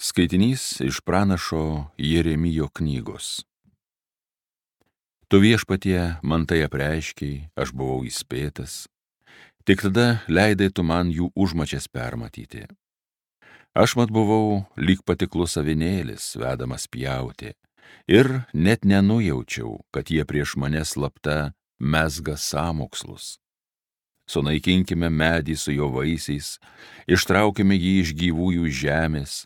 Skaitinys iš pranašo Jeremijo knygos. Tu Viešpatie man tai apreiškei, aš buvau įspėtas, tik tada leidai tu man jų užmačias permatyti. Aš mat buvau lyg patiklus avinėlis, vedamas pjauti, ir net nenujaučiau, kad jie prieš mane slapta mezga sąmokslus. Sunaikinkime medį su jo vaisiais, ištraukime jį iš gyvųjų žemės,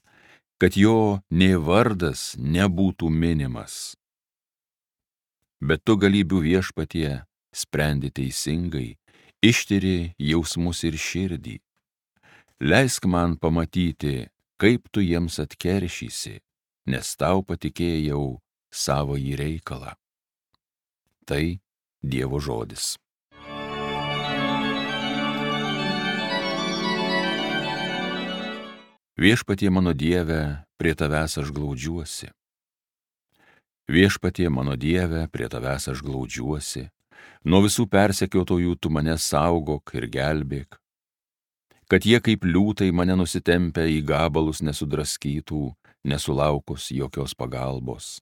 kad jo nė vardas nebūtų minimas. Bet tu galybių Viešpatie sprendi teisingai, ištiri jausmus ir širdį. Leisk man pamatyti, kaip tu jiems atkeršysi, nes tau patikėjau savąjį reikalą. Tai Dievo žodis. Viešpatie mano Dieve, prie tavęs aš glaudžiuosi. Viešpatie mano Dieve, prie tavęs aš glaudžiuosi. Nuo visų persekiotojų tu mane saugok ir gelbėk. Kad jie kaip liūtai mane nusitempę į gabalus nesudraskytų, nesulaukus jokios pagalbos.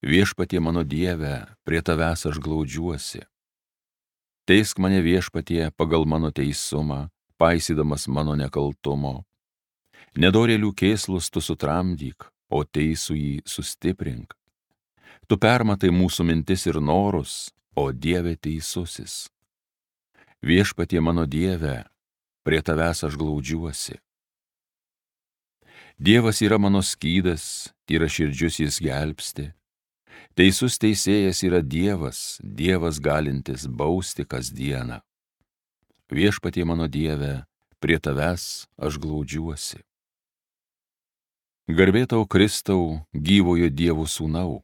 Viešpatie mano Dieve, prie tavęs aš glaudžiuosi. Teisk mane Viešpatie pagal mano teisumą, paisydamas mano nekaltumo. Nedorėlių kėslus tu sutramdyk, o teisųjį sustiprink. Tu permatai mūsų mintis ir norus, o Dieve teisusis. Viešpatie mano Dieve, prie tavęs aš glaudžiuosi. Dievas yra mano skydas, tyraširdžius jis gelbsti. Teisus teisėjas yra Dievas, Dievas galintis bausti kasdieną. Viešpatie mano Dieve, prie tavęs aš glaudžiuosi. Garbė tau, Kristau, gyvojo Dievo sūnau.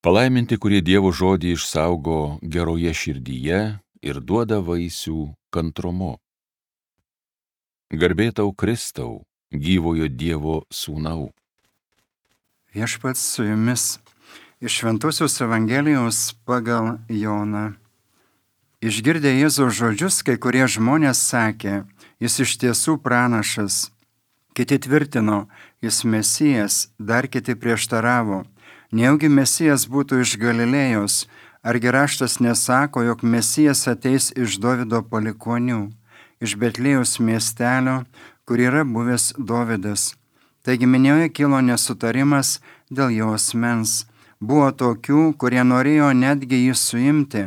Palaiminti, kurie Dievo žodį išsaugo geroje širdyje ir duoda vaisių kantrumu. Garbė tau, Kristau, gyvojo Dievo sūnau. Viešpats su jumis iš Šventosios Evangelijos pagal Joną. Išgirdę Jėzaus žodžius, kai kurie žmonės sakė, jis iš tiesų pranašas. Kiti tvirtino, jis Mesijas, dar kiti prieštaravo. Nejaugi Mesijas būtų iš Galilėjos, argi raštas nesako, jog Mesijas ateis iš Dovido palikuonių, iš Betlėjos miestelio, kur yra buvęs Dovidas. Taigi minioje kilo nesutarimas dėl jo asmens. Buvo tokių, kurie norėjo netgi jį suimti,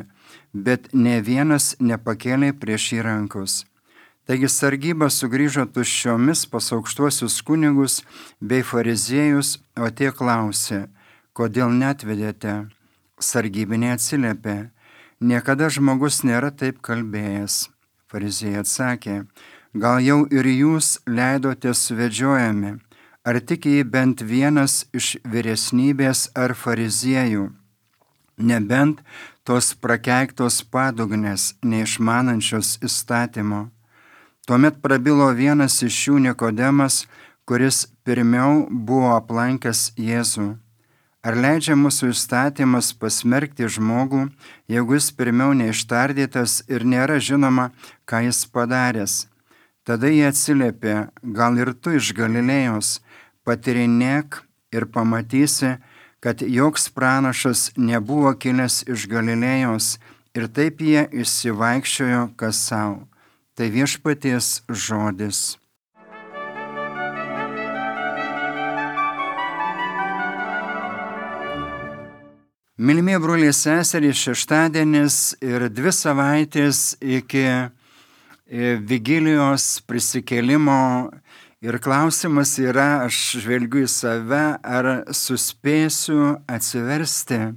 bet ne vienas nepakėlė prieš jį rankos. Taigi sargyba sugrįžo tuščiomis pas aukštuosius kunigus bei fariziejus, o tie klausė, kodėl neatvedėte? Sargybiniai atsiliepė, niekada žmogus nėra taip kalbėjęs. Fariziejai atsakė, gal jau ir jūs leidote suvedžiojami, ar tik jį bent vienas iš vyresnybės ar fariziejų, nebent tos prakeiktos padugnės, neišmanančios įstatymo. Tuomet prabilo vienas iš jų Nikodemas, kuris pirmiau buvo aplankęs Jėzų. Ar leidžia mūsų įstatymas pasmerkti žmogų, jeigu jis pirmiau neištardytas ir nėra žinoma, ką jis padaręs? Tada jie atsiliepė, gal ir tu iš Galilėjos, patyrinėk ir pamatysi, kad joks pranašas nebuvo kilęs iš Galilėjos, ir taip jie išsivaikščiojo kas savo. Tai Viešpaties žodis. Mylimieji broliai seserys, šeštadienis ir 2 savaitės iki vigilijos prisikėlimo ir klausimas yra, aš žvelgiu į save, ar suspėsiu atsiversti.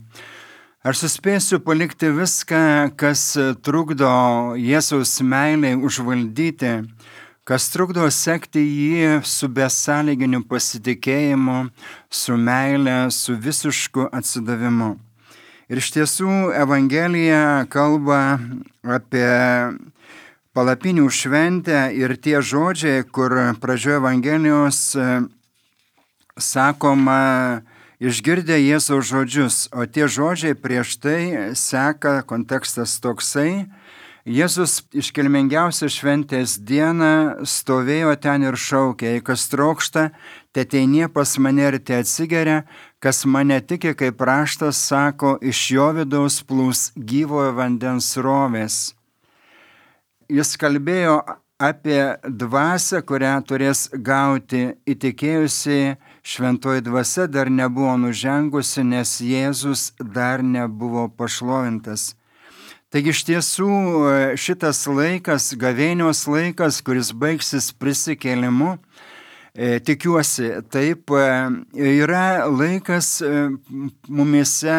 Ar suspėsiu palikti viską, kas trukdo Jėzaus meilei užvaldyti, kas trukdo sekti jį su besąlyginiu pasitikėjimu, su meile, su visišku atsidavimu. Ir iš tiesų Evangelija kalba apie palapinių šventę ir tie žodžiai, kur pradžioje Evangelijos sakoma, išgirdę Jėzaus žodžius, o tie žodžiai prieš tai seka kontekstas toksai, Jėzus iškilmingiausią šventės dieną stovėjo ten ir šaukė: jei kas trokšta, teteinie pas mane ir te atsigeria, kas mane tiki, kaip raštas sako, iš jo vidaus plūs gyvojo vandens srovės. Jis kalbėjo apie dvasią, kurią turės gauti įtikėjusiai. Šventoji dvasia dar nebuvo nužengusi, nes Jėzus dar nebuvo pašlovintas. Taigi iš tiesų šitas laikas, gavėnios laikas, kuris baigsis prisikėlimu, tikiuosi, taip yra laikas mumyse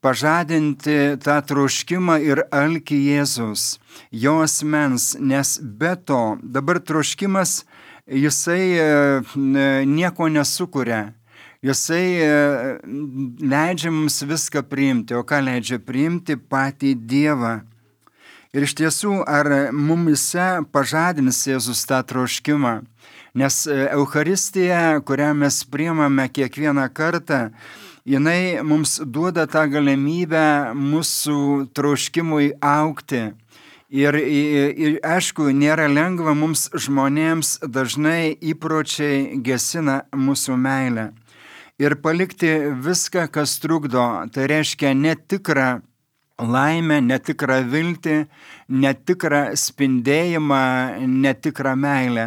pažadinti tą troškimą ir alkį Jėzus, jo asmens, nes be to dabar troškimas, jisai nieko nesukuria. Jisai leidžia mums viską priimti, o ką leidžia priimti? Patį Dievą. Ir iš tiesų, ar mumise pažadins Jėzus tą troškimą? Nes Eucharistija, kurią mes priimame kiekvieną kartą, jinai mums duoda tą galimybę mūsų troškimui augti. Ir aišku, nėra lengva mums žmonėms, dažnai įpročiai gesina mūsų meilę. Ir palikti viską, kas trukdo, tai reiškia netikrą laimę, netikrą viltį, netikrą spindėjimą, netikrą meilę.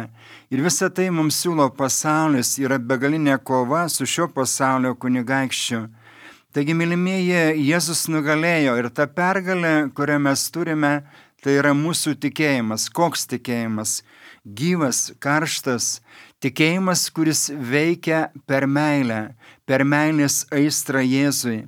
Ir visą tai mums siūlo pasaulis, yra begalinė kova su šio pasaulio kunigaikščiu. Taigi, mylimieji, Jėzus nugalėjo ir ta pergalė, kurią mes turime, tai yra mūsų tikėjimas. Koks tikėjimas? Gyvas, karštas, tikėjimas, kuris veikia per meilę, per meilės aistrą Jėzui.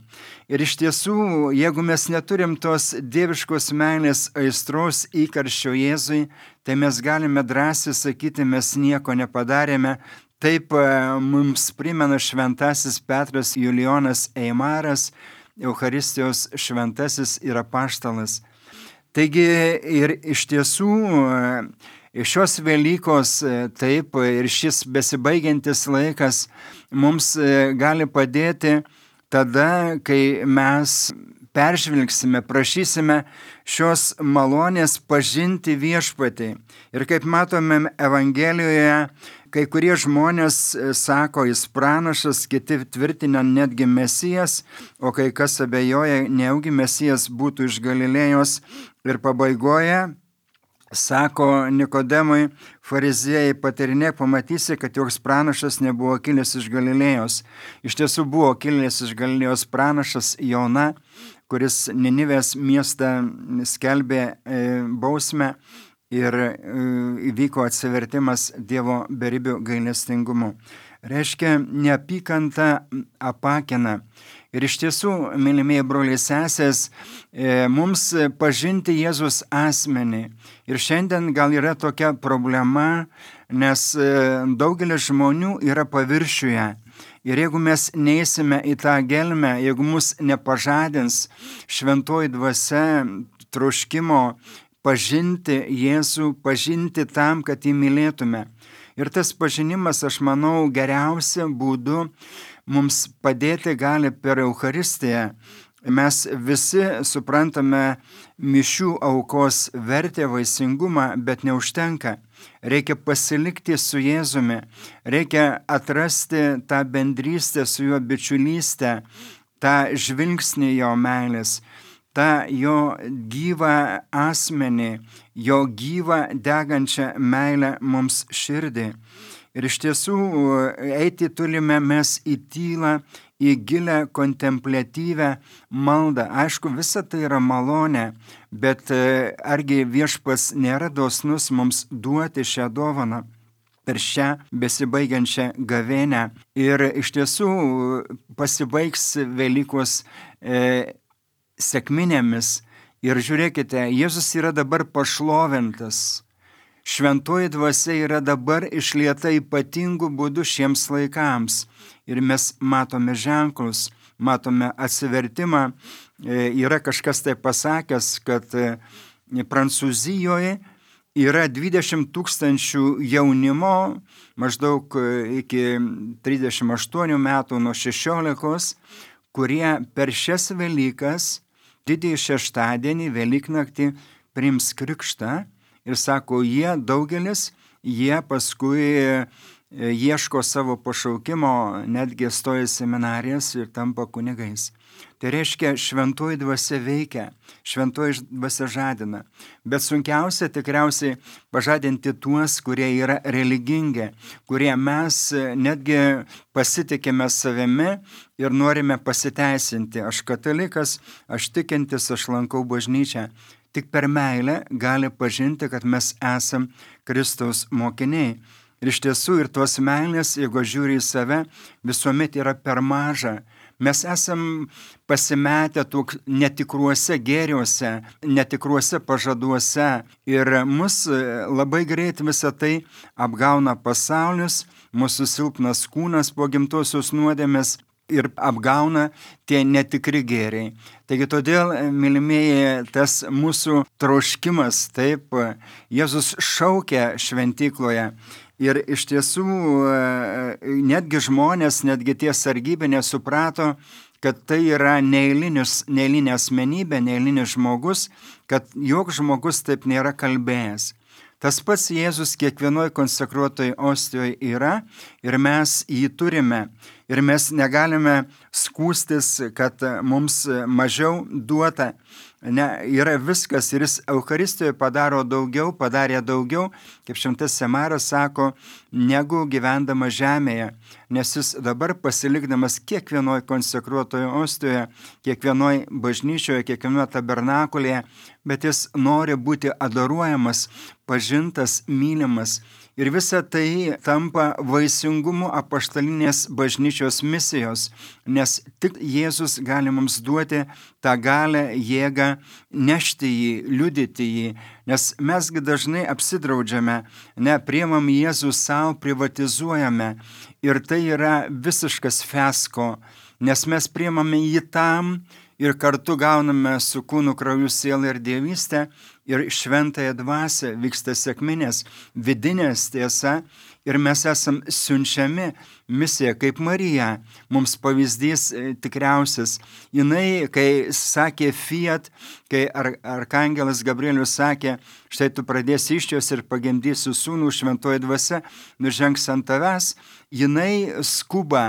Ir iš tiesų, jeigu mes neturim tos dieviškos meilės aistros įkarščio Jėzui, tai mes galime drąsiai sakyti, mes nieko nepadarėme. Taip mums primena šventasis Petras Julijonas Eimaras, Eucharistijos šventasis ir apaštalas. Taigi ir iš tiesų šios Velykos, taip, ir šis besibaigiantis laikas mums gali padėti tada, kai mes peržvelgsime, prašysime šios malonės pažinti viešpatį. Ir kaip matome Evangelijoje, kai kurie žmonės sako, jis pranašas, kiti tvirtina netgi Mesijas, o kai kas abejoja, nejaugi Mesijas būtų iš Galilėjos. Ir pabaigoje sako Nikodemui, fariziejai, patyrinėk, pamatysi, kad joks pranašas nebuvo kilęs iš Galilėjos. Iš tiesų buvo kilęs iš Galilėjos pranašas Jona, kuris Ninivės miestą skelbė bausmę ir įvyko atsivertimas Dievo beribių gailestingumu. Reiškia, neapykanta apakina. Ir iš tiesų, mylimieji broliai sesės, mums pažinti Jėzus asmenį. Ir šiandien gal yra tokia problema, nes daugelis žmonių yra paviršiuje. Ir jeigu mes neįsime į tą gelmę, jeigu mus nepažadins šventoji dvasia troškimo pažinti Jėzų, pažinti tam, kad jį mylėtume. Ir tas pažinimas, aš manau, geriausia būdu mums padėti gali per Eucharistiją. Mes visi suprantame mišių aukos vertę, vaisingumą, bet neužtenka. Reikia pasilikti su Jėzumi, reikia atrasti tą bendrystę su juo, bičiulystę, tą žvilgsnį jo meilės, tą jo gyvą asmenį, jo gyvą degančią meilę mums širdį. Ir iš tiesų eiti turime mes į tylą, į gilę kontempliatyvę maldą. Aišku, visa tai yra malonė, bet argi viešpats nėra dosnus mums duoti šią dovaną per šią besibaigiančią gavėnią. Ir iš tiesų pasibaigs Velykos sekminėmis. Ir žiūrėkite, Jėzus yra dabar pašlovintas. Šventoji dvasia yra dabar išlieta ypatingų būdų šiems laikams. Ir mes matome ženklus, matome atsivertimą. Yra kažkas tai pasakęs, kad Prancūzijoje yra 20 000 jaunimo, maždaug iki 38 metų nuo 16, kurie per šias Velykas, didįjį šeštadienį, Velyknaktį, priims krikštą ir sako, jie paskui ieško savo pašaukimo, netgi stoja į seminarijas ir tampa kunigais. Tai reiškia, šventoji dvasia veikia, šventoji dvasia žadina. Bet sunkiausia tikriausiai pažadinti tuos, kurie yra religingi, kurie mes netgi pasitikime savimi ir norime pasiteisinti. Aš katalikas, aš tikintis, aš lankau bažnyčią. Tik per meilę gali pažinti, kad mes esam Kristaus mokiniai. Ir iš tiesų ir tos meilės, jeigu žiūri į save, visuomet yra per maža. Mes esam pasimetę netikruose gėriuose, netikruose pažaduose ir mus labai greit visą tai apgauna pasaulis, mūsų silpnas kūnas po gimtosios nuodėmės ir apgauna tie netikri gėriai. Taigi todėl, mylimieji, tas mūsų troškimas, taip, Jėzus šaukia šventykloje. Ir iš tiesų netgi žmonės, netgi tie sargybiniai suprato, kad tai yra neeilinė asmenybė, neeilinis žmogus, kad joks žmogus taip nėra kalbėjęs. Tas pats Jėzus kiekvienoje konsekruotoje ostijoje yra ir mes jį turime. Ir mes negalime skūstis, kad mums mažiau duota. Ne, yra viskas ir jis Eucharistijoje padarė daugiau, kaip šventas Semaras sako, negu gyvendama žemėje. Nes jis dabar pasilikdamas kiekvienoje konsekruotoje ostijoje, kiekvienoje bažnyčioje, kiekvienoje tabernakulėje, bet jis nori būti adoruojamas, pažintas, mylimas. Ir visa tai tampa vaisingumu apaštalinės bažnyčios misijos, nes tik Jėzus gali mums duoti tą galę, jėgą nešti jį, liudyti jį, nes mesgi dažnai apsidraudžiame, priimam Jėzų savo, privatizuojame ir tai yra visiškas fiasko, nes mes priimame jį tam ir kartu gauname su kūnu, krauju, siela ir dievystę ir šventąją dvasią, vyksta sekminės, vidinės tiesa ir mes esam siunčiami misija kaip Marija, mums pavyzdys tikriausias. Jinai, kai sakė fiat, kai arkangelas Gabrielius sakė, štai tu pradėsi iščios ir pagimdysi sūnų, šventoji dvasia nužengs ant tavęs, jinai skuba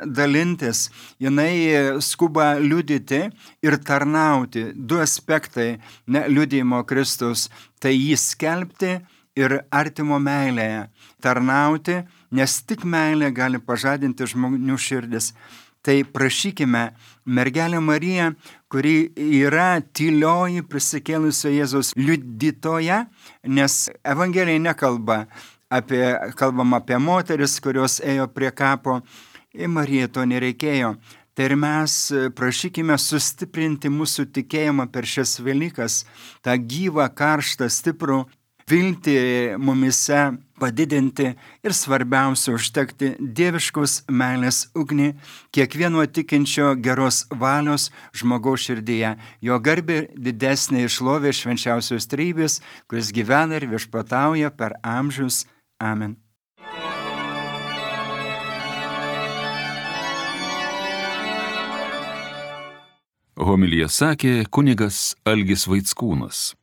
dalintis, jinai skuba liudyti ir tarnauti. Du aspektai liudijimo Kristaus, tai jį skelbti ir artimo meilėje tarnauti, nes tik meilė gali pažadinti žmonių širdis. Tai prašykime mergelę Mariją, kuri yra tylioji prisikėlusio Jėzaus liudytoja, nes Evangelija nekalbama apie moteris, kurios ėjo prie kapo, ir Marijai to nereikėjo. Tai ir mes prašykime sustiprinti mūsų tikėjimą per šias Velykas, tą gyvą, karštą, stiprų viltį mumise padidinti ir svarbiausia užtekti dieviškos meilės ugnį kiekvieno tikinčio geros valios žmogaus širdyje. Jo garbė didesnė šlovė švenčiausios trejybės, kuris gyvena ir viešpatauja per amžius. Amen. Homiliją sakė kunigas Algis Vaickūnas.